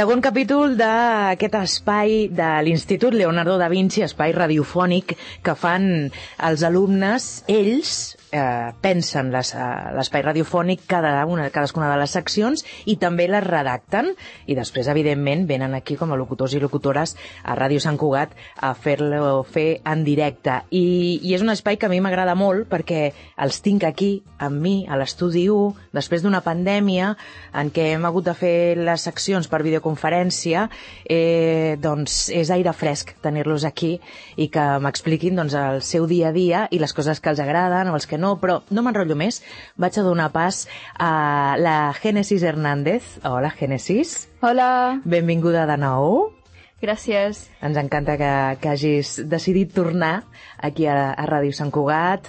Segon capítol d'aquest espai de l'Institut Leonardo da Vinci, espai radiofònic que fan els alumnes, ells pensen l'espai radiofònic cadascuna de les seccions i també les redacten i després, evidentment, venen aquí com a locutors i locutores a Ràdio Sant Cugat a fer-lo fer en directe. I és un espai que a mi m'agrada molt perquè els tinc aquí, amb mi, a l'estudi 1, després d'una pandèmia en què hem hagut de fer les seccions per videoconferència, doncs és aire fresc tenir-los aquí i que m'expliquin doncs, el seu dia a dia i les coses que els agraden o els que no, però no m'enrotllo més. Vaig a donar pas a la Génesis Hernández. Hola, Génesis. Hola. Benvinguda de nou. Gràcies. Ens encanta que hagis decidit tornar aquí a Ràdio Sant Cugat.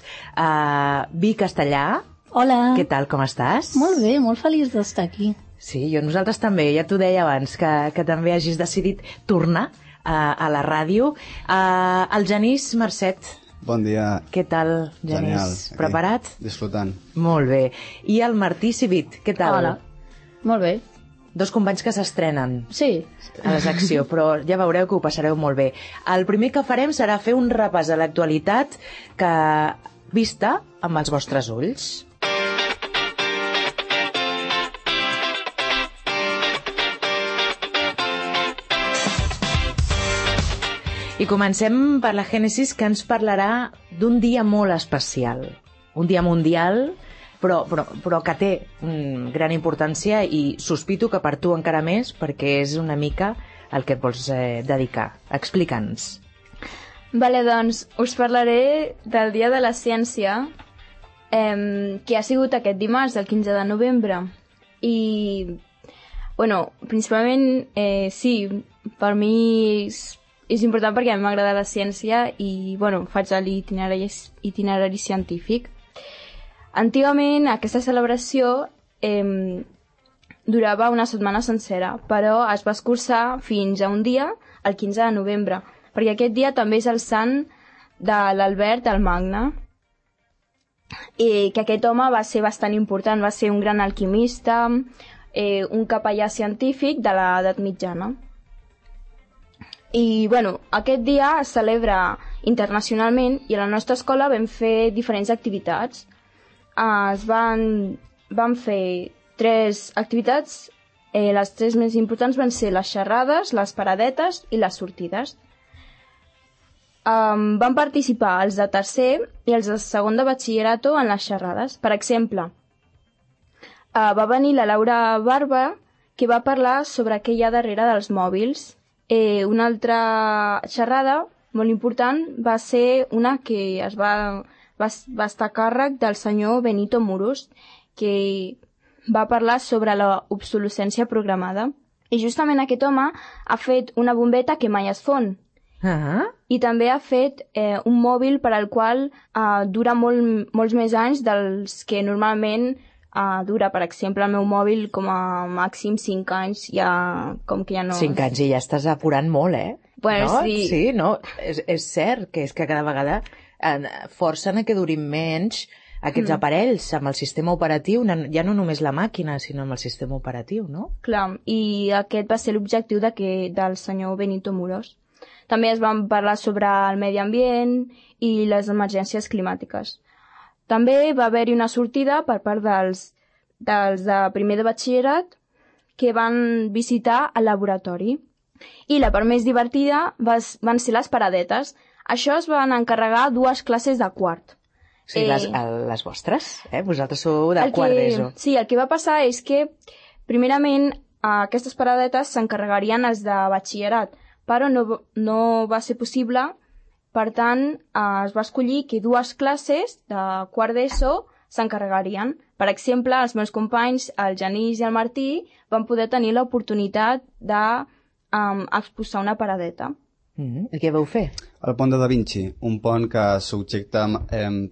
Vi Castellà. Hola. Què tal, com estàs? Molt bé, molt feliç d'estar aquí. Sí, nosaltres també, ja t'ho deia abans, que també hagis decidit tornar a la ràdio. El Genís Marcet. Bon dia. Què tal, Genís? Genial. Preparat? Disfrutant. Molt bé. I el Martí Civit, què tal? Hola. Molt bé. Dos companys que s'estrenen Sí. a la secció, però ja veureu que ho passareu molt bé. El primer que farem serà fer un repàs a l'actualitat que vista amb els vostres ulls. I comencem per la Génesis, que ens parlarà d'un dia molt especial. Un dia mundial, però que té gran importància i sospito que per tu encara més, perquè és una mica el que et vols dedicar. Explica'ns. Vale, doncs us parlaré del Dia de la Ciència, que ha sigut aquest dimarts, el 15 de novembre. I, bueno, principalment, sí, per mi és important perquè a mi m'agrada la ciència i, bueno, faig l'itinerari científic. Antigament, aquesta celebració durava una setmana sencera, però es va escurçar fins a un dia, el 15 de novembre, perquè aquest dia també és el sant de l'Albert el Magne, i que aquest home va ser bastant important, va ser un gran alquimista, un capellà científic de l'edat mitjana. I, bueno, aquest dia es celebra internacionalment i a la nostra escola vam fer diferents activitats. Vam fer 3 activitats, les 3 més importants van ser les xerrades, les paradetes i les sortides. Van participar els de tercer i els de segon de batxillerato en les xerrades. Per exemple, va venir la Laura Barba, que va parlar sobre què hi ha darrere dels mòbils. Una altra xerrada molt important va ser una que va estar a càrrec del senyor Benito Muros, que va parlar sobre l'obsolescència programada. I justament aquest home ha fet una bombeta que mai es fon. I també ha fet un mòbil per al qual dura molts més anys dels que normalment dura. Per exemple, el meu mòbil com a màxim 5 anys, com que ja no... 5 anys i ja estàs apurant molt, Bueno, no? sí. Sí, no? És cert que és que cada vegada forcen a que durin menys aquests aparells amb el sistema operatiu, ja no només la màquina, sinó amb el sistema operatiu, no? Clar, i aquest va ser l'objectiu del senyor Benito Muros. També es van parlar sobre el medi ambient i les emergències climàtiques. També va haver-hi una sortida per part dels de primer de batxillerat que van visitar el laboratori. I la part més divertida van ser les paradetes. Això es van encarregar 2 classes de quart. Sí, les vostres, Vosaltres sou de quart d'ESO. Sí, el que va passar és que, primerament, aquestes paradetes s'encarregarien els de batxillerat, però no va ser possible. Per tant, es va escollir que 2 classes de quart d'ESO s'encarregarien. Per exemple, els meus companys, el Genís i el Martí, van poder tenir l'oportunitat d'exposar una paradeta. I què vau fer? El pont de Da Vinci, un pont que s'objecta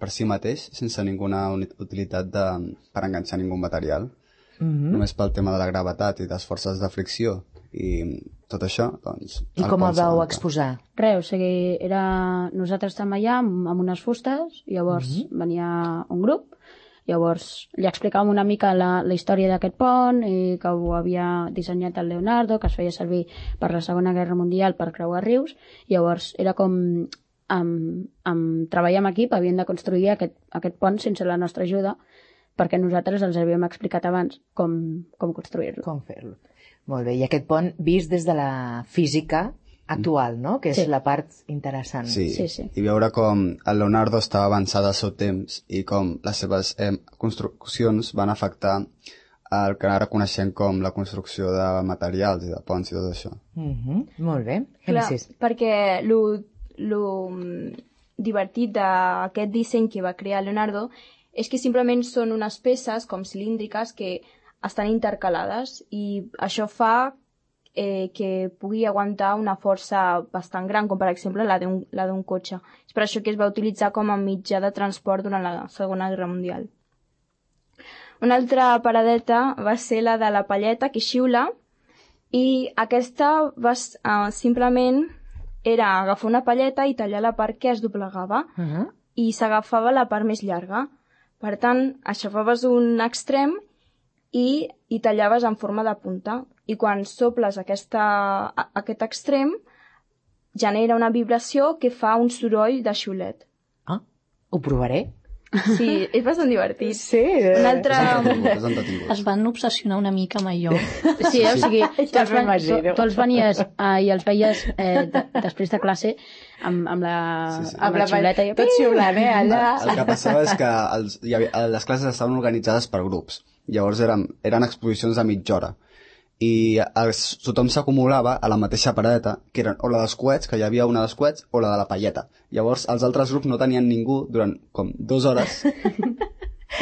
per si mateix, sense ninguna utilitat per enganxar ningú material. Només pel tema de la gravetat i les forces de fricció. I tot això, doncs... I com el vau exposar? Res, o sigui, nosaltres estàvem allà amb unes fustes, llavors venia un grup, Llavors li explicàvem una mica la història d'aquest pont, i que ho havia dissenyat el Leonardo, que es feia servir per la Segona Guerra Mundial per creuar rius. Llavors era com amb treball en equip havien de construir aquest pont sense la nostra ajuda, perquè nosaltres els havíem explicat abans com construir-lo. Com fer-lo. Molt bé, i aquest pont vist des de la física actual, no? Que és la part interessant. Sí. I veure com el Leonardo estava avançat al seu temps i com les seves construccions van afectar el que ara coneixem com la construcció de materials i de ponts i tot això. Molt bé. Clar, perquè lo divertit d'aquest disseny que va crear Leonardo és que simplement són unes peces com cilíndriques que estan intercalades i això fa que pugui aguantar una força bastant gran, com per exemple la d'un cotxe. És per això que es va utilitzar com a mitjà de transport durant la Segona Guerra Mundial. Una altra paradeta va ser la de la palleta que xiula, i aquesta simplement era agafar una palleta i tallar la part que es doblegava i s'agafava la part més llarga. Per tant, aixafaves un extrem i tallaves en forma de punta. I quan soples aquest extrem, genera una vibració que fa un soroll de xiulet. Ah, ho provaré. Sí, és bastant divertit. Sí. Un altre... Es van obsessionar una mica amb allò. Sí, o sigui, tu els venies i els veies després de classe amb la xiuleta. Tot xiulant, allà. El que passava és que les classes estaven organitzades per grups. Llavors eren exposicions de mitja hora. I tothom s'acumulava a la mateixa paradeta, que eren o la dels coets, que hi havia una dels coets, o la de la palleta. Llavors, els altres grups no tenien ningú durant com 2 hores.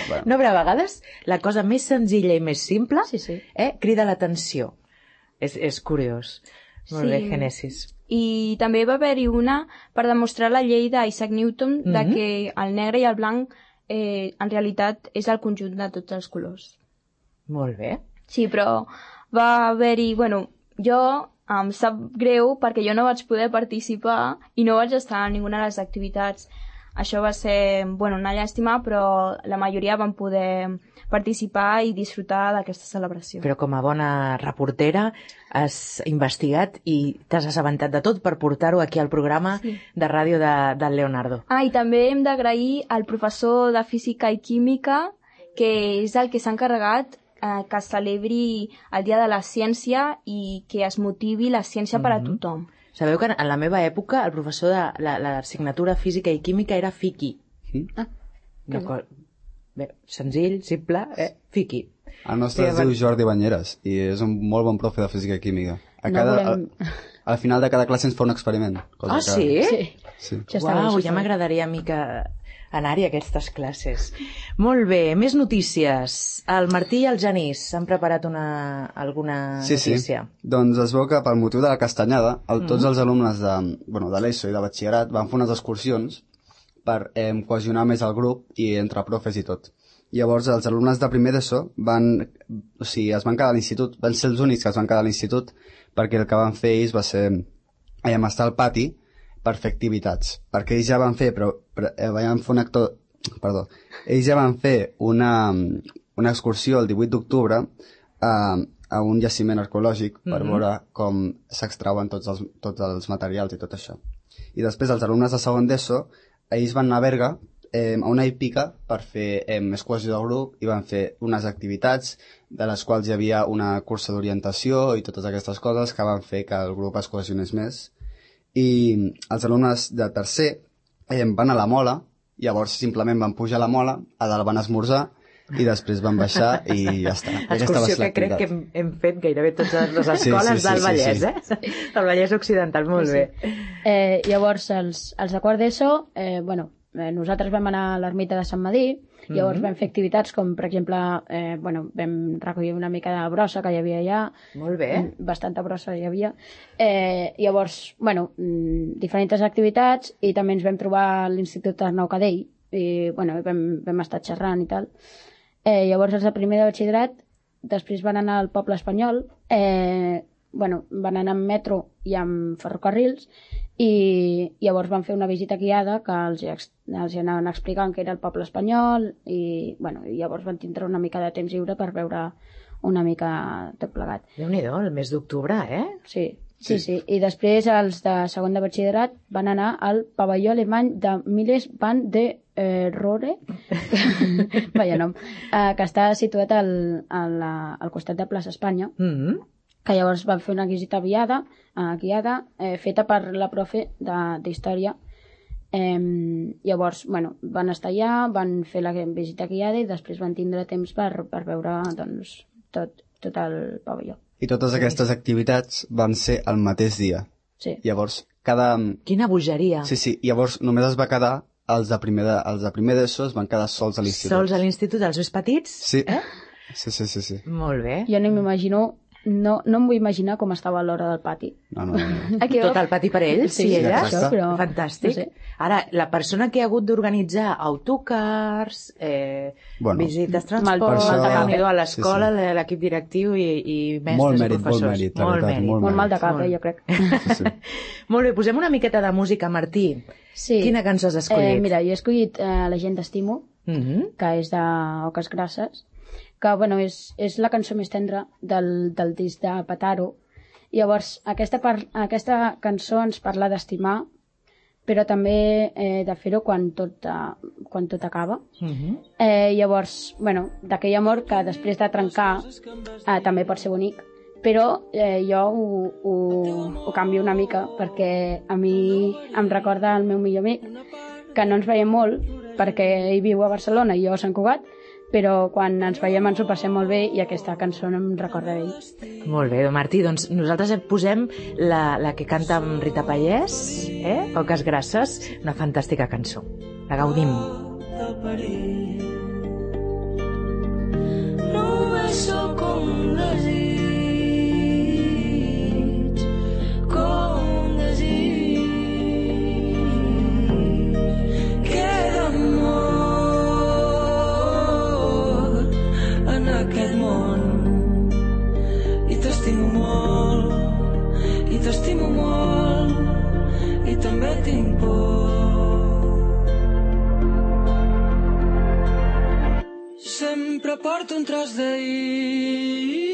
Bueno. No, però a vegades la cosa més senzilla i més simple crida l'atenció. És curiós. Molt bé, Génesis. I també va haver-hi una per demostrar la llei d'Isaac Newton de que el negre i el blanc en realitat és el conjunt de tots els colors. Molt bé. Sí, però va haver-hi... Bueno, jo em sap greu perquè jo no vaig poder participar i no vaig estar en ninguna de les activitats. Això va ser una llàstima, però la majoria van poder participar i disfrutar d'aquesta celebració. Però com a bona reportera has investigat i t'has assabentat de tot per portar-ho aquí al programa de ràdio del Leonardo. I també hem d'agrair al professor de Física i Química, que és el que s'ha encarregat que es celebri el Dia de la Ciència i que es motivi la ciència per a tothom. Sabeu que en la meva època el professor de l'assignatura Física i Química era Fiqui. Bé, senzill, simple, Fiqui. El nostre es diu Jordi Banyeres i és un molt bon profe de Física i Química. Al final de cada classe ens fa un experiment. Sí? Sí. Uau, ja m'agradaria a mi que anar-hi a aquestes classes. Molt bé, més notícies. El Martí i el Genís han preparat alguna notícia. Sí. Doncs es veu que pel motiu de la castanyada, tots els alumnes de l'ESO i de batxillerat van fer unes excursions per cohesionar més el grup i entre profes i tot. Llavors els alumnes de primer d'ESO es van quedar a l'institut, van ser els únics que es van quedar a l'institut, perquè el que van fer ells va ser estar al pati per fer activitats, perquè ells ja van fer ells ja van fer una excursió el 18 d'octubre a un jaciment arqueològic per veure com s'extrauen tots els materials i tot això. I després els alumnes de segon d'ESO, ells van anar a Berga a una hípica per fer més cohesió del grup i van fer unes activitats de les quals hi havia una cursa d'orientació i totes aquestes coses que van fer que el grup es cohesionés més. I els alumnes de tercer van a la Mola, llavors simplement van pujar a la Mola, a dalt van esmorzar i després van baixar i ja està. Excursió que crec que hem fet gairebé totes les escoles del Vallès, del Vallès Occidental, molt bé. Llavors, els de quart d'ESO, nosaltres vam anar a l'ermita de Sant Madí, llavors vam fer activitats com, per exemple, vam recollir una mica de brossa que hi havia allà. Molt bé. Bastanta brossa hi havia. Llavors, diferents activitats i també ens vam trobar a l'Institut Arnau Cadell i, vam estar xerrant i tal. Llavors, els de primer de batxillerat després van anar al Poble Espanyol van anar amb metro i amb ferrocarrils, i llavors van fer una visita guiada que els anaven explicant que era el poble espanyol, i llavors van tindre una mica de temps lliure per veure una mica tot plegat. Déu-n'hi-do, el mes d'octubre, Sí. I després els de segon de batxillerat van anar al pavelló alemany de Miles van de Rohre, vaya nom, que està situat al costat de Plaça Espanya, que llavors van fer una visita guiada feta per la profe d'història. Llavors, van estar allà, van fer la visita guiada i després van tindre temps per veure tot el pavelló. I totes aquestes activitats van ser el mateix dia. Sí. Llavors, Quina bogeria. Sí, llavors només es va quedar els de primer d'ESO es van quedar sols a l'institut. Sols a l'institut, els més petits? Sí. Sí. Molt bé. Jo no m'imagino, no em vull imaginar com estava a l'hora del pati. No. Tot el pati per ells, Sí, elles? això, però... Fantàstic. No sé. Ara, la persona que ha hagut d'organitzar autocars, visites, transport, reunió a l'escola, l'equip directiu i mestres i professors. Molt mèrit. Molt mal de cap, jo crec. Sí. Molt bé, posem una miqueta de música, Martí. Sí. Quina cançó has escollit? Mira, jo he escollit La gent t'estimo, que és d'Oques Grasses, que és la cançó més tendra del disc de Pataro. Llavors, aquesta cançó ens parla d'estimar, però també de fer-ho quan tot acaba. Llavors, d'aquell amor que després de trencar també pot ser bonic, però jo ho canvio una mica, perquè a mi em recorda el meu millor amic, que no ens veiem molt, perquè ell viu a Barcelona i jo a Sant Cugat, però quan ens veiem ens ho passem molt bé i aquesta cançó em recorda ell. Molt bé, Martí, doncs nosaltres posem la que canta amb Rita Pallès, Oques Grasses, una fantàstica cançó. La gaudim. Només sóc un desig, com un desig. Queda molt en aquest món i t'estimo molt i també tinc por. Sempre porto un tros d'ahir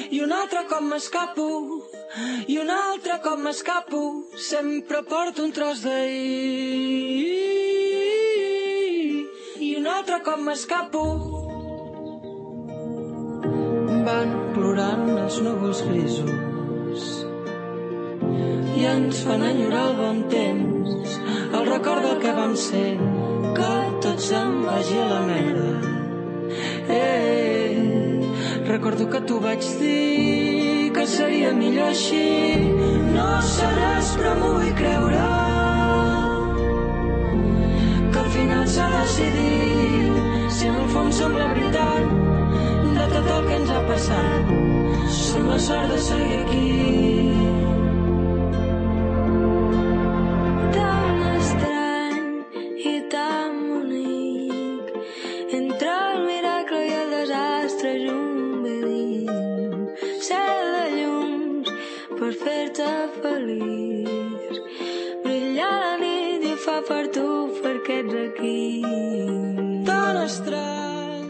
i un altre cop m'escapo i un altre cop m'escapo. Sempre porto un tros d'ahir i un altre cop m'escapo. Van plorant els núvols grisos i ens fan enyorar el bon temps, el record del que vam ser, que tot se'n vagi a la merda. Recordo que t'ho vaig dir, que seria millor així. No sé res, però m'ho vull creure, que al final s'ha decidit, si en el fons som la veritat de tot el que ens ha passat. Som la sort de seguir aquí. Per tu, perquè ets aquí. Tan estrany.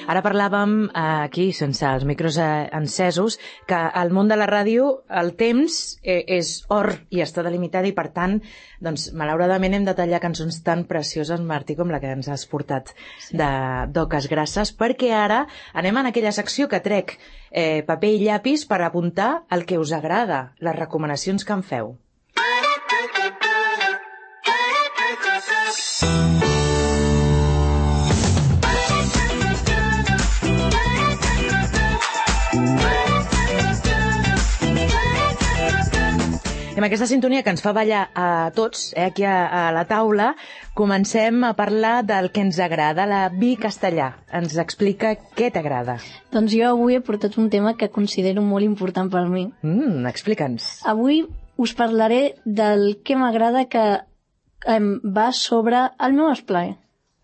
Ara parlàvem aquí, sense els micros encesos, que al món de la ràdio el temps és or i està delimitat i, per tant, doncs, malauradament hem de tallar cançons tan precioses, Martí, com la que ens has portat d'Oques Grasses, perquè ara anem en aquella secció que trec paper i llapis per apuntar el que us agrada, les recomanacions que em feu. Amb aquesta sintonia que ens fa ballar a tots, aquí a la taula, comencem a parlar del que ens agrada. La Vi Castellà ens explica què t'agrada. Doncs jo avui he portat un tema que considero molt important per mi. Explica'ns. Avui us parlaré del que m'agrada, que va sobre el meu esplai.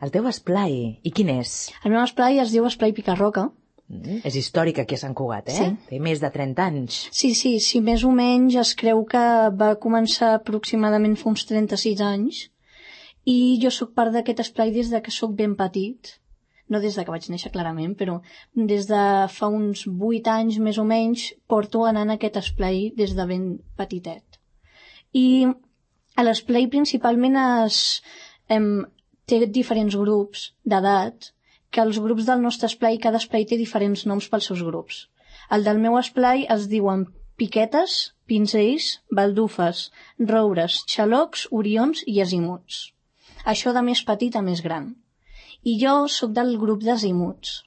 El teu esplai. I quin és? El meu esplai es diu Esplai Picarroca És històric aquí a Sant Cugat, Sí. Té més de 30 anys. Sí, més o menys es creu que va començar aproximadament fa uns 36 anys i jo sóc part d'aquest esplai des de que sóc ben petit. No des de que vaig néixer clarament, però des de fa uns 8 anys més o menys porto anant a aquest esplai des de ben petitet. I a l'esplai principalment té diferents grups d'edat, que els grups del nostre esplai, cada esplai té diferents noms pels seus grups. El del meu esplai es diuen piquetes, pinzells, baldufes, roures, xalocs, orions i azimuts. Això de més petit a més gran. I jo sóc del grup d'azimuts,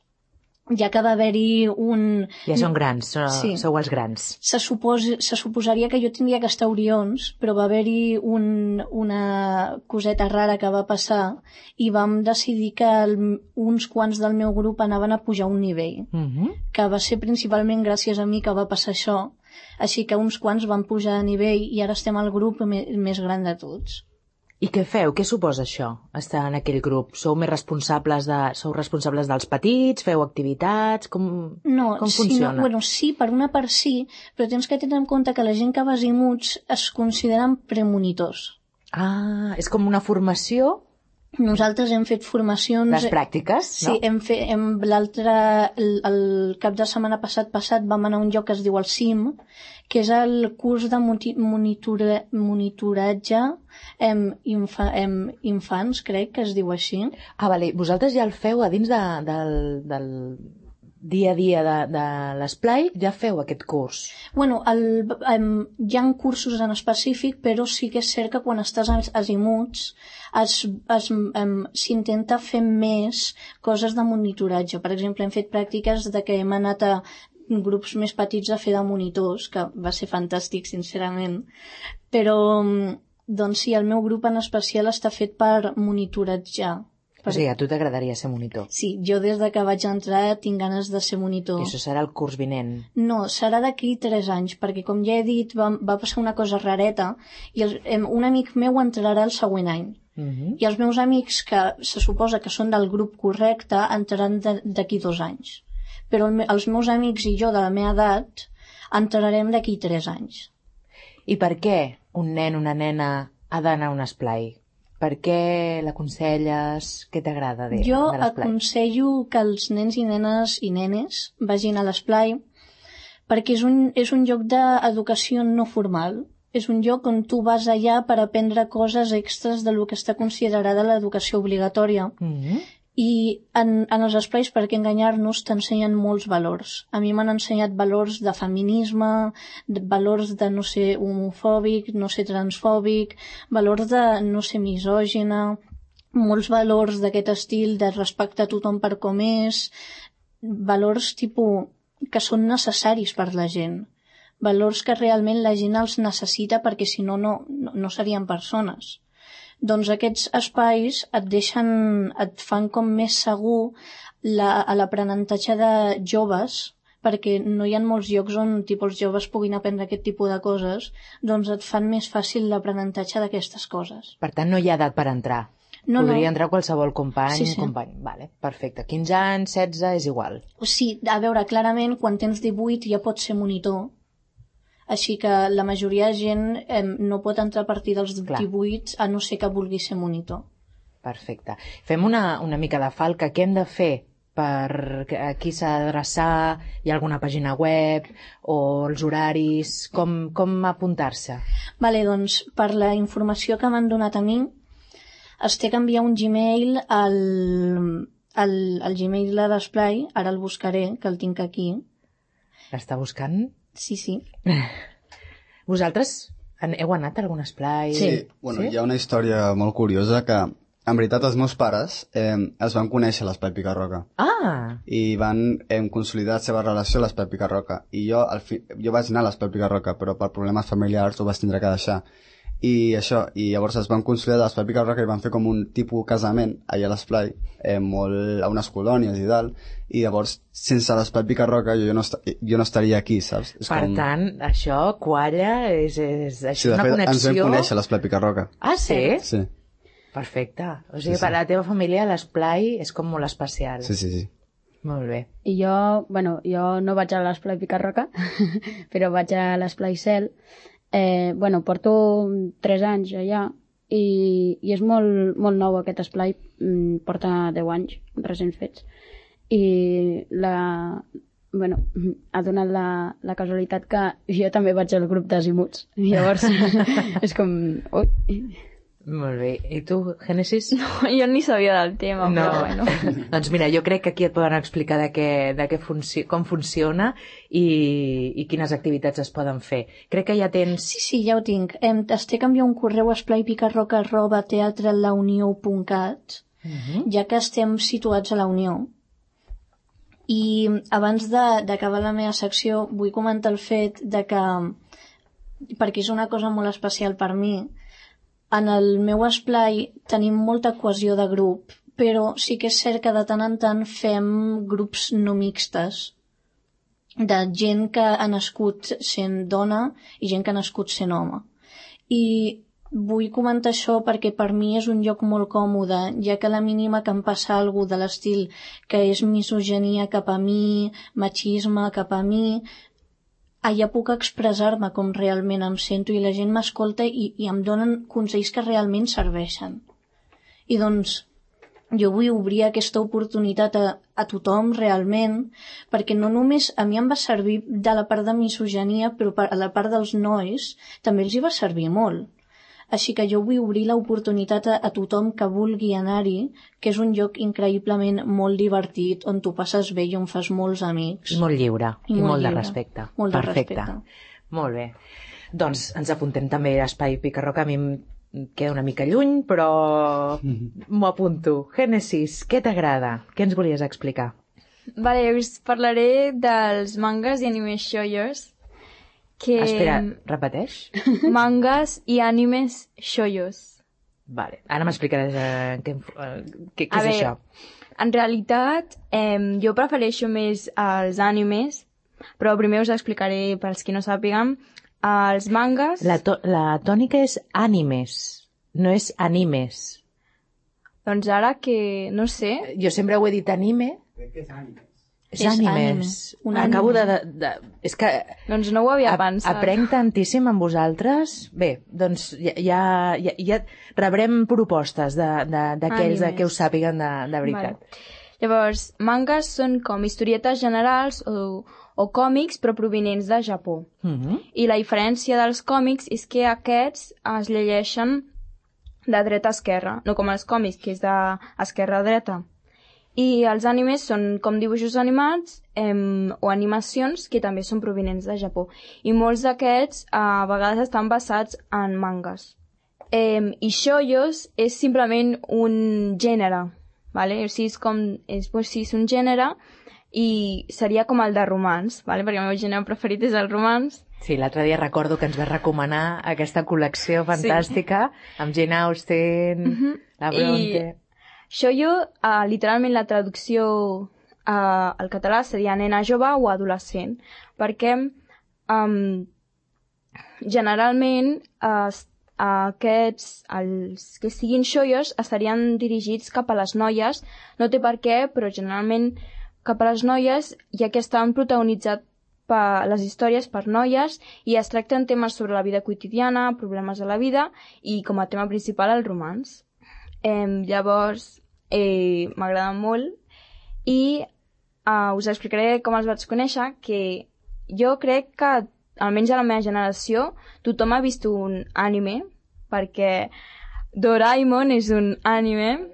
ja que va haver-hi un... Ja són grans, Sí. sou els grans. Se suposaria que jo tindria que estar orions, però va haver-hi una coseta rara que va passar i vam decidir que uns quants del meu grup anaven a pujar un nivell, que va ser principalment gràcies a mi que va passar això, així que uns quants van pujar de nivell i ara estem al grup més gran de tots. I què feu? Què suposa això, estar en aquell grup? Sou responsables dels petits? Feu activitats? Com funciona? Sí, per una part sí, però tens que tenir en compte que la gent que va a azimuts es consideren premonitors. Ah, és com una formació? Nosaltres hem fet formacions... Les pràctiques, no? Sí, el cap de setmana passat vam anar a un lloc que es diu el CIM, que és el curs de monitoratge infants, crec que es diu així. Ah, vale. Vosaltres ja el feu a dins del dia a dia de l'esplai, ja feu aquest curs? Bueno, hi ha cursos en específic, però sí que és cert que quan estàs a azimuts s'intenta fer més coses de monitoratge. Per exemple, hem fet pràctiques de que hem anat a grups més petits a fer de monitors, que va ser fantàstic, sincerament. Però, doncs sí, el meu grup en especial està fet per monitoratjar. O sigui, a tu t'agradaria ser monitor? Sí, jo des de que vaig entrar tinc ganes de ser monitor. I això serà el curs vinent? No, serà d'aquí 3 anys, perquè com ja he dit, va passar una cosa rareta i un amic meu entrarà el següent any. I els meus amics, que se suposa que són del grup correcte, entraran d'aquí 2 anys. Però els meus amics i jo de la meva edat entrarem d'aquí 3 anys. I per què un nen o una nena ha d'anar a un esplai? Per què l'aconselles? Què t'agrada de l'esplai? Jo aconsello que els nens i nenes i nenes vagin a l'esplai perquè és un lloc d'educació no formal. És un lloc on tu vas allà per aprendre coses extres del que està considerada l'educació obligatòria. I en els esplais, per què enganyar-nos, t'ensenyen molts valors. A mi m'han ensenyat valors de feminisme, valors de no ser homofòbic, no ser transfòbic, valors de no ser misògina, molts valors d'aquest estil de respectar tothom per com és, valors que són necessaris per la gent, valors que realment la gent els necessita perquè si no serien persones. Doncs aquests espais et fan com més segur l'aprenentatge de joves, perquè no hi ha molts llocs on els joves puguin aprendre aquest tipus de coses, doncs et fan més fàcil l'aprenentatge d'aquestes coses. Per tant, no hi ha edat per entrar? Podria entrar qualsevol company? Sí. Vale, perfecte. 15 anys, 16, és igual? Sí, a veure, clarament, quan tens 18 ja pots ser monitor, així que la majoria de gent no pot entrar a partir dels 18 a no ser que vulgui ser monitor. Perfecte. Fem una mica de falca. Què hem de fer? A qui s'ha d'adreçar? Hi ha alguna pàgina web? O els horaris? Com apuntar-se? Vale, doncs, per la informació que m'han donat a mi, es té que enviar un Gmail al Gmail de l'esplai, ara el buscaré, que el tinc aquí. L'està buscant? Sí. Vosaltres heu anat a algun esplai? Sí. Bueno, hi ha una història molt curiosa que, en veritat, els meus pares es van conèixer a l'Esplai Picarroca. Ah! I van consolidar la seva relació a l'Esplai Picarroca. I jo vaig anar a l'Esplai Picarroca, però per problemes familiars ho vaig tindre que deixar. I llavors es van consolidar a l'Esplai Picarroca i van fer com un tipus casament allà a l'esplai, molt a unes colònies i tal, i llavors sense l'Esplai Picarroca jo no estaria aquí, saps? Per tant, això qualla, és una connexió... Ens vam conèixer a l'Esplai Picarroca. Ah, sí? Sí. Perfecte. O sigui, per la teva família l'esplai és com molt especial. Sí. Molt bé. I jo no vaig a l'Esplai Picarroca, però vaig a l'Esplai Cel. Porto 3 anys allà i és molt, molt nou aquest esplai, porta 10 anys recents fets. I ha donat la casualitat que jo també vaig al grup d'Azimuts. Llavors, és com... Ui. Molt bé. I tu, Génesis? No, jo ni sabia del tema, no. però bueno. Doncs mira, jo crec que aquí et poden explicar com funciona i quines activitats es poden fer. Crec que ja tens... Sí, ja ho tinc. T'estic enviant un correu a esplaipicarroca@teatrelaunió.cat, ja que estem situats a la Unió. I abans d'acabar la meva secció vull comentar el fet de que, perquè és una cosa molt especial per mi, en el meu esplai tenim molta cohesió de grup, però sí que és cert que de tant en tant fem grups no mixtes, de gent que ha nascut sent dona i gent que ha nascut sent home. I vull comentar això perquè per mi és un lloc molt còmode, ja que la mínima que em passa alguna cosa de l'estil que és misogynia cap a mi, machisme cap a mi, allà puc expressar-me com realment em sento i la gent m'escolta i em donen consells que realment serveixen. I doncs jo vull obrir aquesta oportunitat a tothom realment, perquè no només a mi em va servir de la part de misogynia, però a la part dels nois també els hi va servir molt. Així que jo vull obrir l'oportunitat a tothom que vulgui anar-hi, que és un lloc increïblement molt divertit, on tu passes bé i on fas molts amics. I molt lliure, i molt de lliure. respecte. Molt de Perfecte. respecte. Molt bé. Doncs ens apuntem també a Espai Picarroca. A mi em queda una mica lluny, però m'ho apunto. Génesis, què t'agrada? Què ens volies explicar? Vale, us parlaré dels mangas i anime shoyos. Espera, repeteix? Mangas i animes shoyos. Vale, ara m'explicaràs què és això. En realitat, jo prefereixo més els animes, però primer us explicaré, per als qui no sàpiguen, els mangas... La tònica és animes, no és animes. Doncs ara que... no sé... Jo sempre ho he dit anime. Crec que és animes. És animes. Acabo de... És que... Doncs no ho havia pensat. Aprenc tantíssim amb vosaltres. Bé, doncs ja rebrem propostes d'aquells que ho sàpiguen de veritat. Vale. Llavors, mangas són com historietes generals o còmics, però provinents de Japó. I la diferència dels còmics és que aquests es llegeixen de dreta a esquerra, no com els còmics, que és d'esquerra a dreta. I els animes són com dibuixos animats o animacions que també són provinents de Japó. I molts d'aquests a vegades estan basats en mangas. I shoyos és simplement un gènere, vale? O sigui, és un gènere i seria com el de romans, vale? Perquè el meu gènere preferit és el romans. Sí, l'altre dia recordo que ens vas recomanar aquesta col·lecció fantàstica amb Jane Austen, la Bronte... Shoujo, literalment la traducció al català seria nena jove o adolescent, perquè generalment els que siguin shoujos estarien dirigits cap a les noies, no té per què, però generalment cap a les noies, ja que estan protagonitzats les històries per noies i es tracten temes sobre la vida quotidiana, problemes de la vida i com a tema principal el romans. Llavors m'agrada molt i us explicaré com els vaig conèixer, que jo crec que almenys a la meva generació tothom ha vist un anime, perquè Doraemon és un anime,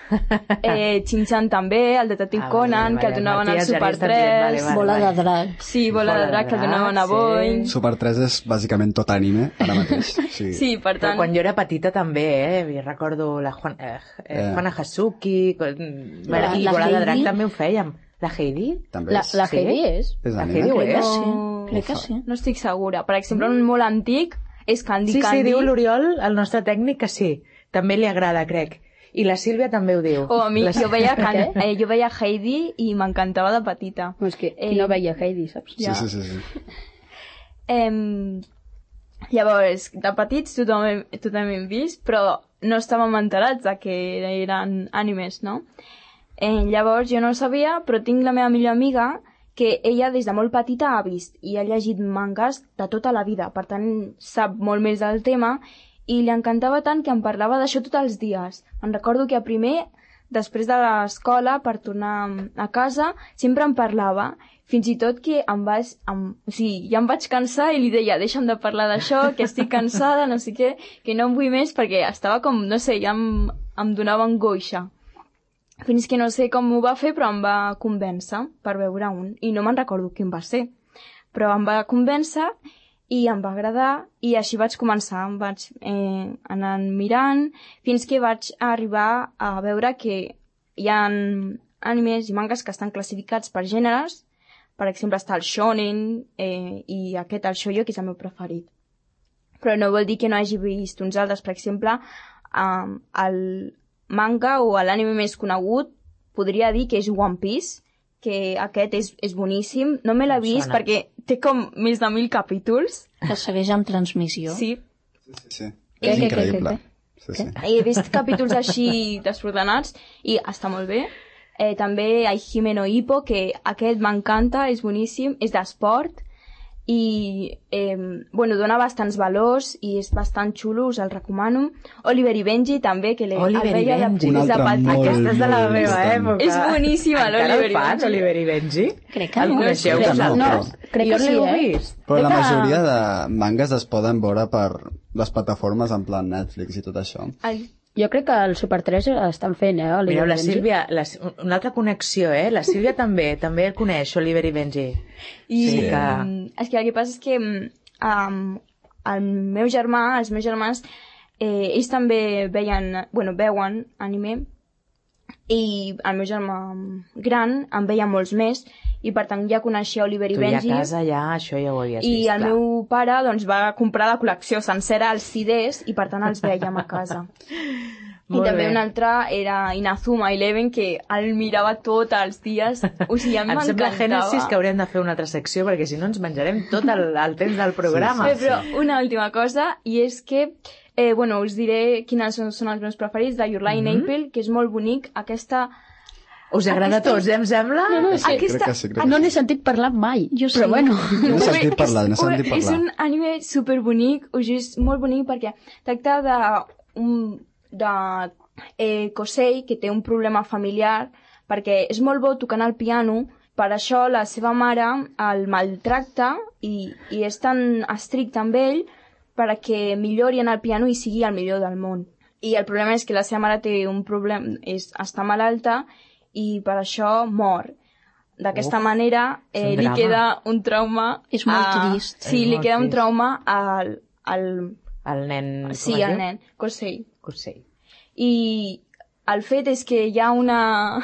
Shin-chan també, el detectiu Conan, que el donaven al Super 3, Bola de drac. Sí, Bola de drac, que el donaven a Boing. Super 3 és bàsicament tot anime, ara mateix. Sí, per Però tant... quan jo era petita també, recordo la Juana Hasuki, i Bola de drac també ho fèiem. La Heidi? També és. La Heidi és? És La anime? Heidi ho és? Sí, crec que sí. No estic segura. Per exemple, un molt antic és Candy Sí, Candy. diu l'Oriol, el nostre tècnic, que sí. També li agrada, crec. I la Sílvia també ho diu. A mi, jo veia Heidi i m'encantava de petita. És que qui no veia Heidi, saps? Sí. Llavors, de petits tothom hem vist, però no estàvem enterats de que eren animes, no? Llavors jo no ho sabia, però tinc la meva millor amiga que ella des de molt petita ha vist i ha llegit mangas de tota la vida, per tant sap molt més del tema i li encantava tant que em parlava d'això tots els dies. Em recordo que a primer, després de l'escola, per tornar a casa, sempre em parlava, fins i tot que ja em vaig cansar i li deia deixa'm de parlar d'això, que estic cansada, no sé què, que no em vull més perquè estava com, no sé, ja em donava angoixa. Fins que no sé com ho va fer, però em va convèncer per veure un. I no me'n recordo quin va ser. Però em va convèncer i em va agradar i així vaig començar. Em vaig anar mirant fins que vaig arribar a veure que hi ha animes i mangas que estan classificats per gèneres. Per exemple, està el shonen i aquest, el shoujo, que és el meu preferit. Però no vol dir que no hagi vist uns altres. Per exemple, el manga o l'anime més conegut podria dir que és One Piece, que aquest és boníssim. No me l'he vist perquè té com més de 1000 capítols. Que segueix amb transmissió. Sí. Sí. És increïble. Sí. He vist capítols així desordenats i està molt bé. També Hajime no Ippo, que aquest m'encanta, és boníssim, és d'esport i dona bastants valors i és bastant xulo, us el recomano. Oliver i Benji també, que Oliver i Benji, un altre molt, aquesta és de la meva època. És boníssima l'Oliver i Benji. Oliver i Benji? Crec que El no. coneixeu? No, crec que sí, vist? però la majoria de mangas es poden veure per les plataformes en plan Netflix i tot això. Jo crec que el Super 3 estan fent, Mireu, la Sílvia, una altra connexió, La Sílvia també el coneix, Oliver i Benji. És que el que passa és que el meu germà, els meus germans, ells també veuen anime i el meu germà gran en veia molts més i per tant ja coneixia Oliver i Benji. Tu ja a casa això ja ho havies vist. I el meu pare va comprar la col·lecció sencera, els CDs, i per tant els vèiem a casa. I també un altre era Inazuma Eleven, que el mirava tots els dies. O sigui, em sembla Génesis que haurem de fer una altra secció, perquè si no ens menjarem tot el temps del programa. Sí. Però una última cosa, i és que us diré quins són els meus preferits, de Your Lie in April, que és molt bonic. Us agrada a tots, em sembla? No, sí. Crec que sí. No n'he sentit parlar mai, però bueno. No s'ha sentit parlar. És un anime superbonic, és molt bonic perquè tracta de Kosei, que té un problema familiar, perquè és molt bo tocant el piano, per això la seva mare el maltracta i és tan estricte amb ell perquè millori en el piano i sigui el millor del món. I el problema és que la seva mare té un problema, està malalta i per això mor. D'aquesta manera li queda un trauma... És molt trist. Sí, li queda un trauma al nen... Sí, al nen, Kosei. Kosei. I el fet és que hi ha una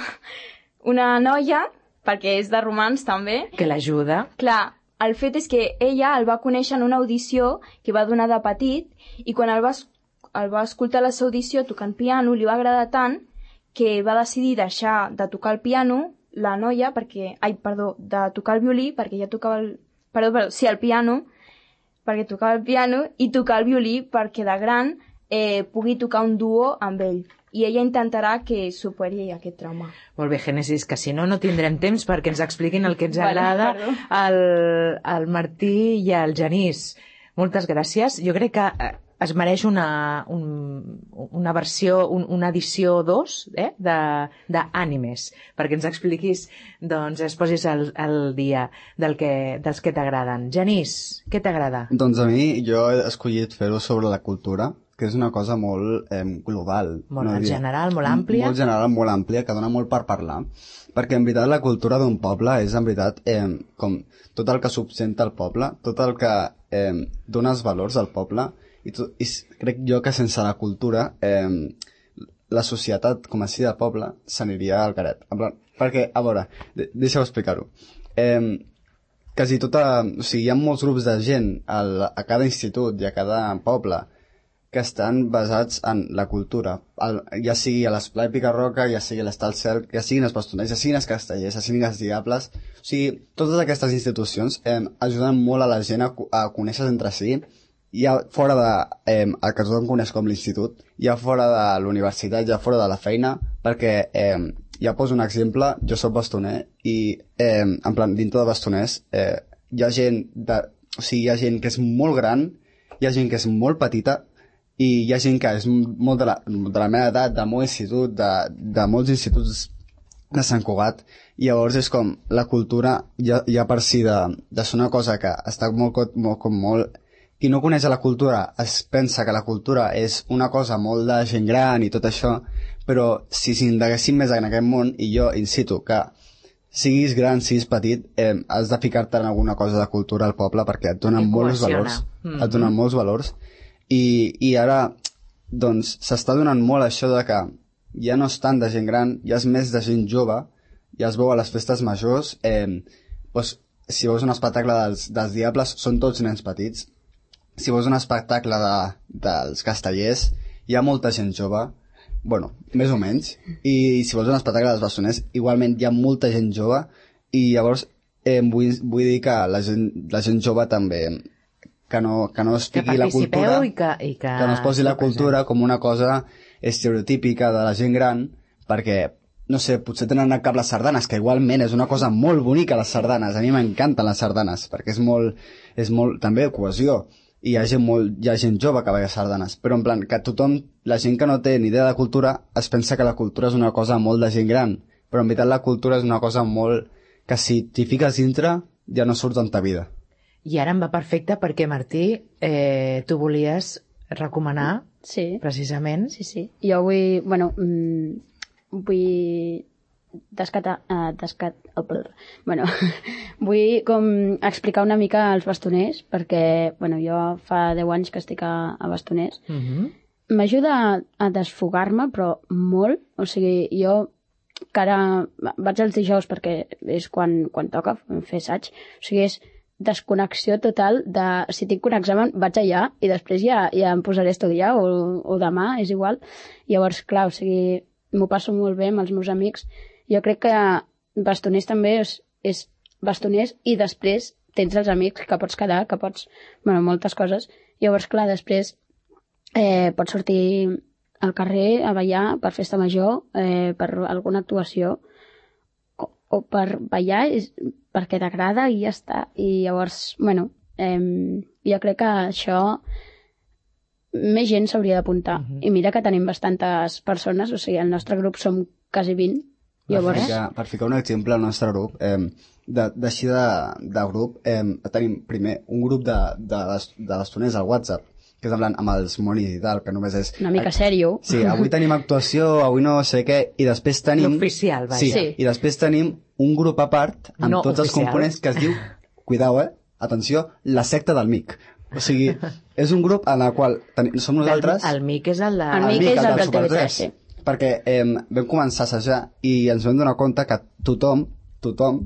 noia, perquè és de romans també... Que l'ajuda. Clar, el fet és que ella el va conèixer en una audició que va donar de petit i quan el va escoltar a la seva audició tocant piano li va agradar tant que va decidir deixar de tocar el piano la noia de tocar el violí perquè ja tocava el piano perquè tocava el piano i tocar el violí perquè de gran pugui tocar un duo amb ell. I ella intentarà que superi aquest trauma. Molt bé, Génesis, que si no tindrem temps perquè ens expliquin el que ens agrada al Martí i al Genís. Moltes gràcies. Jo crec que es mereix una versió, una edició 2 d'ànimes, perquè ens expliquis, doncs es posis al dia dels que t'agraden. Genís, què t'agrada? Doncs a mi, jo he escollit fer-ho sobre la cultura, que és una cosa molt global. Molt general, molt àmplia. Molt general, molt àmplia, que dona molt per parlar. Perquè, en veritat, la cultura d'un poble és, en veritat, com tot el que subsenta el poble, tot el que dona els valors al poble, i crec jo que sense la cultura la societat, com a si de poble, s'aniria al caret. Perquè, a veure, deixeu explicar-ho. Quasi tota... O sigui, hi ha molts grups de gent a cada institut i a cada poble que estan basats en la cultura, ja sigui a l'Esplai Picarroca, ja sigui a l'Estal Cel, ja siguin els bastoners, ja siguin els castellers, ja siguin els diables. O sigui, totes aquestes institucions ajuden molt a la gent a conèixer entre si, ja fora el que tothom coneix com l'institut, ja fora de l'universitat, ja fora de la feina, perquè ja poso un exemple, jo soc bastoner i, en plan, dintre de bastoners, hi ha gent hi ha gent que és molt gran, hi ha gent que és molt petita i hi ha gent que és molt de la meva edat, del meu institut, de molts instituts de Sant Cugat, i llavors és com la cultura ja per si de ser una cosa que està molt qui no coneix la cultura es pensa que la cultura és una cosa molt de gent gran i tot això, però si s'indaguéssim més en aquest món, i jo incito que siguis gran, siguis petit, has de ficar-te en alguna cosa de cultura al poble perquè et donen molts valors. Et donen molts valors. I ara, doncs, s'està donant molt això de que ja no és tant de gent gran, ja és més de gent jove, ja es veu a les festes majors, doncs, si veus un espectacle dels Diables, són tots nens petits. Si veus un espectacle dels Castellers, hi ha molta gent jove, bueno, més o menys, i si vols un espectacle dels Bastoners, igualment hi ha molta gent jove, i llavors vull dir que la gent jove també, que no es fiqui la cultura, que no es posi la cultura com una cosa estereotípica de la gent gran, perquè, no sé, potser tenen al cap les sardanes, que igualment és una cosa molt bonica, les sardanes, a mi m'encanten les sardanes, perquè és molt també cohesió, i hi ha gent jove que veia sardanes, però en plan que tothom, la gent que no té ni idea de cultura es pensa que la cultura és una cosa molt de gent gran, però en veritat la cultura és una cosa molt que si t'hi fiques dintre ja no surts en ta vida. I ara em va perfecte perquè, Martí, tu volies recomanar precisament. Sí. Jo vull, vull com explicar una mica als bastoners, perquè jo fa 10 anys que estic a bastoners. M'ajuda a desfogar-me, però molt. O sigui, jo que ara vaig els dijous perquè és quan toca fer assaig. O sigui, és desconnexió total de si tinc un examen vaig allà i després ja em posaré a estudiar o demà, és igual. Llavors, clar, o sigui, m'ho passo molt bé amb els meus amics. Jo crec que bastoners també és bastoners i després tens els amics que pots quedar, que pots... moltes coses. Llavors, clar, després pots sortir al carrer a ballar per festa major, per alguna actuació, o per ballar perquè t'agrada i ja està. I llavors, jo crec que això més gent s'hauria d'apuntar. I mira que tenim bastantes persones, o sigui, el nostre grup som quasi 20. Llavors... Per ficar un exemple al nostre grup, d'així de grup, tenim primer un grup de bastoners al WhatsApp, que és en plan amb els monis i tal, que només és... Una mica sèrio. Sí, avui tenim actuació, avui no sé què, i després tenim... L'oficial, vaja. Sí, i després tenim un grup a part amb tots els components que es diu, cuidao, atenció, la secta del Mic. O sigui, és un grup en el qual som nosaltres... El Mic és el de... El Mic és el del TV3, sí. Perquè vam començar a assajar i ens vam donar compte que tothom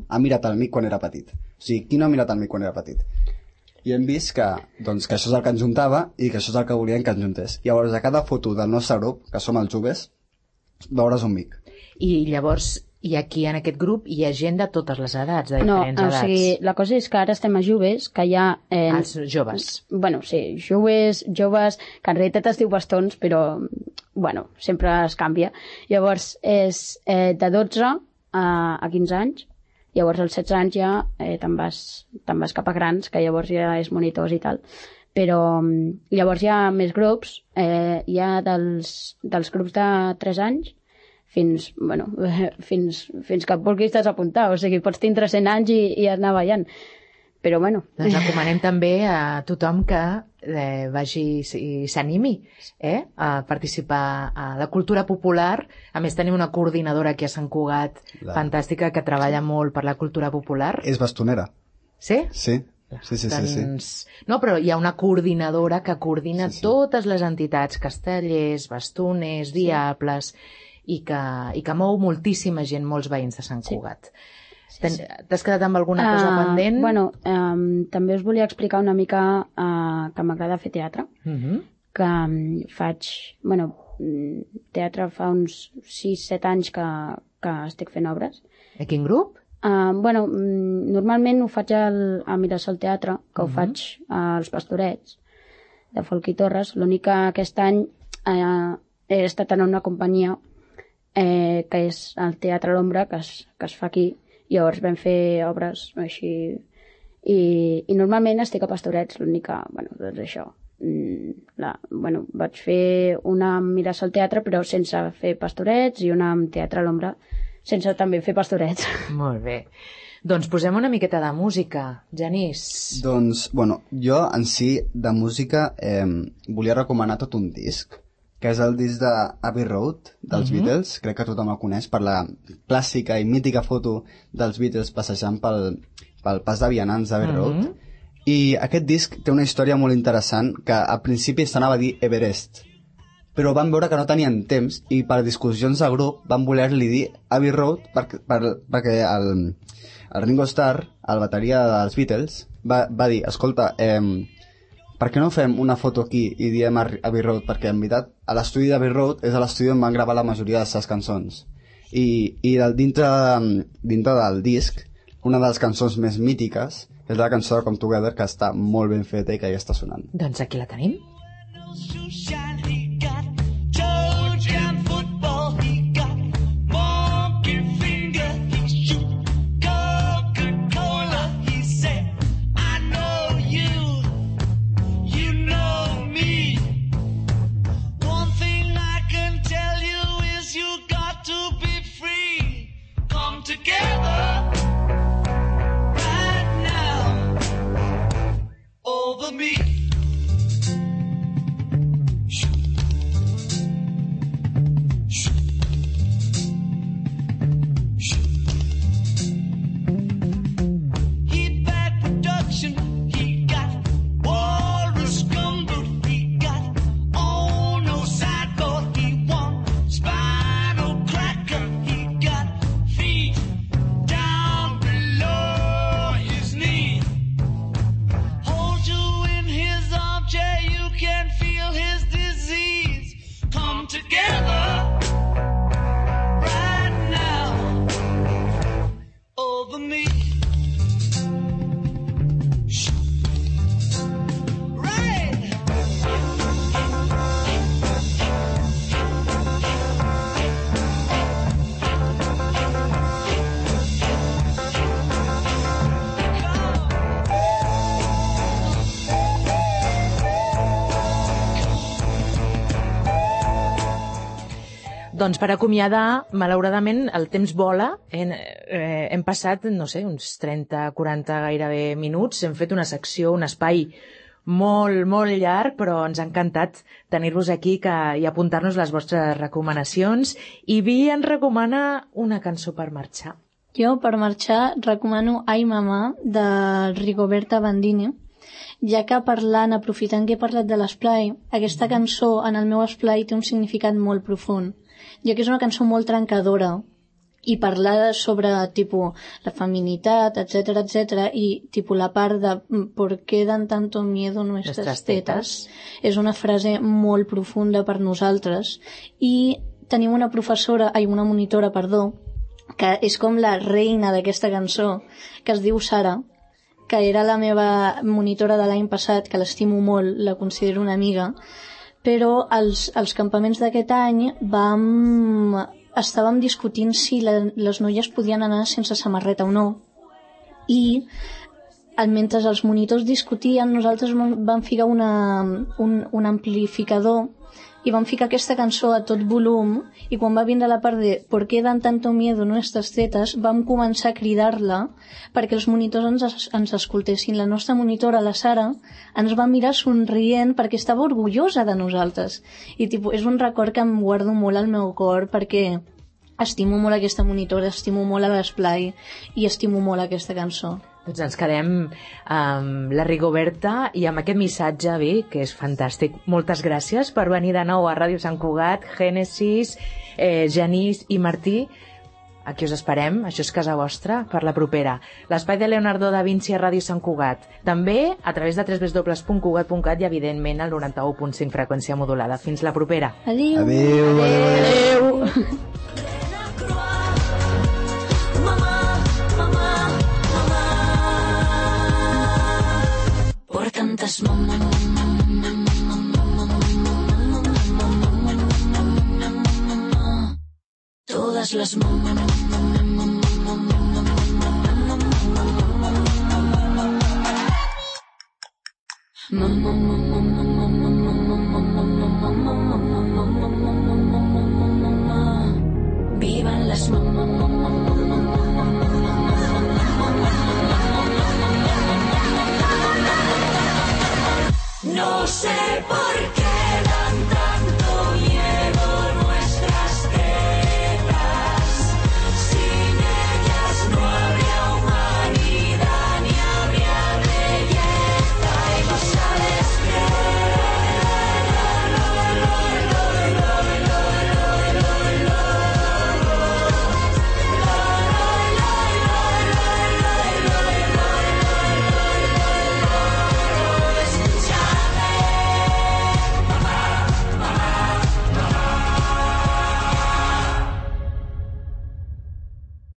ha mirat el Mic quan era petit. O sigui, qui no ha mirat el Mic quan era petit? I hem vist que això és el que ens juntava i que això és el que volien que ens juntés. I llavors a cada foto del nostre grup, que som els joves, veuràs un Mic. I llavors, i aquí en aquest grup hi ha gent de totes les edats, de diferents edats. No, o sigui, la cosa és que ara estem a joves, que hi ha... Els joves. Sí, joves, que en realitat es diu bastons, però, sempre es canvia. Llavors, és de 12 a 15 anys. Llavors, als 16 anys ja te'n vas cap a grans, que llavors ja és monitors i tal. Però llavors hi ha més grups, hi ha dels grups de 3 anys fins que et vulguis desapuntar. O sigui, pots tindre 100 anys i anar ballant. Però, Doncs recomanem també a tothom que vagi i s'animi a participar a la cultura popular. A més, tenim una coordinadora aquí a Sant Cugat, fantàstica, que treballa molt per la cultura popular. És bastonera. Sí? Sí. No, però hi ha una coordinadora que coordina totes les entitats, castellers, bastoners, diables, i que mou moltíssima gent, molts veïns de Sant Cugat. T'has quedat amb alguna cosa pendent? També us volia explicar una mica que m'agrada fer teatre, que faig teatre fa uns 6-7 anys que estic fent obres. A quin grup? Normalment ho faig a Mirasol Teatre, que ho faig als Pastorets de Folch i Torres. L'únic que aquest any he estat en una companyia que és el Teatre L'Ombra, que es fa aquí. Llavors vam fer obres així, i normalment estic a Pastorets, l'única, doncs això. Vaig fer una amb Mires al Teatre, però sense fer Pastorets, i una amb Teatre L'Ombra, sense també fer Pastorets. Molt bé. Doncs posem una miqueta de música. Genís. Doncs, jo en si de música volia recomanar tot un disc, que és el disc d'Abbey Road, dels Beatles. Crec que tothom el coneix per la clàssica i mítica foto dels Beatles passejant pel pas de vianants d'Abbey Road. I aquest disc té una història molt interessant, que al principi s'anava a dir Everest, però van veure que no tenien temps i per discussions de grup van voler-li dir Abbey Road perquè el Ringo Starr, el bateria dels Beatles, va dir, escolta, per què no fem una foto aquí i diem Abbey Road? Perquè en veritat l'estudi d'Abbey Road és l'estudi on van gravar la majoria de les seves cançons. I dintre del disc, una de les cançons més mítiques és la cançó de Come Together, que està molt ben feta i que ja està sonant. Doncs aquí la tenim. Doncs per acomiadar, malauradament, el temps vola. Hem passat, no sé, uns 30-40 gairebé minuts. Hem fet una secció, un espai molt, molt llarg, però ens ha encantat tenir-vos aquí i apuntar-nos les vostres recomanacions. I Vi ens recomana una cançó per marxar. Jo, per marxar, recomano Ai Mamà, de Rigoberta Bandini, ja que aprofitant que he parlat de l'esplai, aquesta cançó en el meu esplai té un significat molt profund, ja que és una cançó molt trencadora i parla sobre la feminitat, etc, i la part de ¿por qué dan tanto miedo nuestras tetas? És una frase molt profunda per nosaltres, i tenim una monitora, que és com la reina d'aquesta cançó, que es diu Sara, que era la meva monitora de l'any passat, que l'estimo molt, la considero una amiga, però als campaments d'aquest any estàvem discutint si les noies podien anar sense samarreta o no, i mentre els monitors discutien, nosaltres vam ficar un amplificador i vam ficar aquesta cançó a tot volum, i quan va vindre la part de ¿por qué dan tanto miedo nuestras tetas?, vam començar a cridar-la perquè els monitors ens escoltessin. La nostra monitora, la Sara, ens va mirar somrient perquè estava orgullosa de nosaltres. I és un record que em guardo molt al meu cor, perquè estimo molt aquesta monitora, estimo molt l'esplai i estimo molt aquesta cançó. Doncs ens quedem amb la Rigoberta i amb aquest missatge, Vi, que és fantàstic. Moltes gràcies per venir de nou a Ràdio Sant Cugat, Génesis, Genís i Martí. Aquí us esperem, això és casa vostra, per la propera. L'espai de Leonardo da Vinci a Ràdio Sant Cugat. També a través de www.cugat.cat i, evidentment, al 91.5 freqüència modulada. Fins la propera. Adéu. Adéu. Adéu. Por tantas totes les vivan las no sé por qué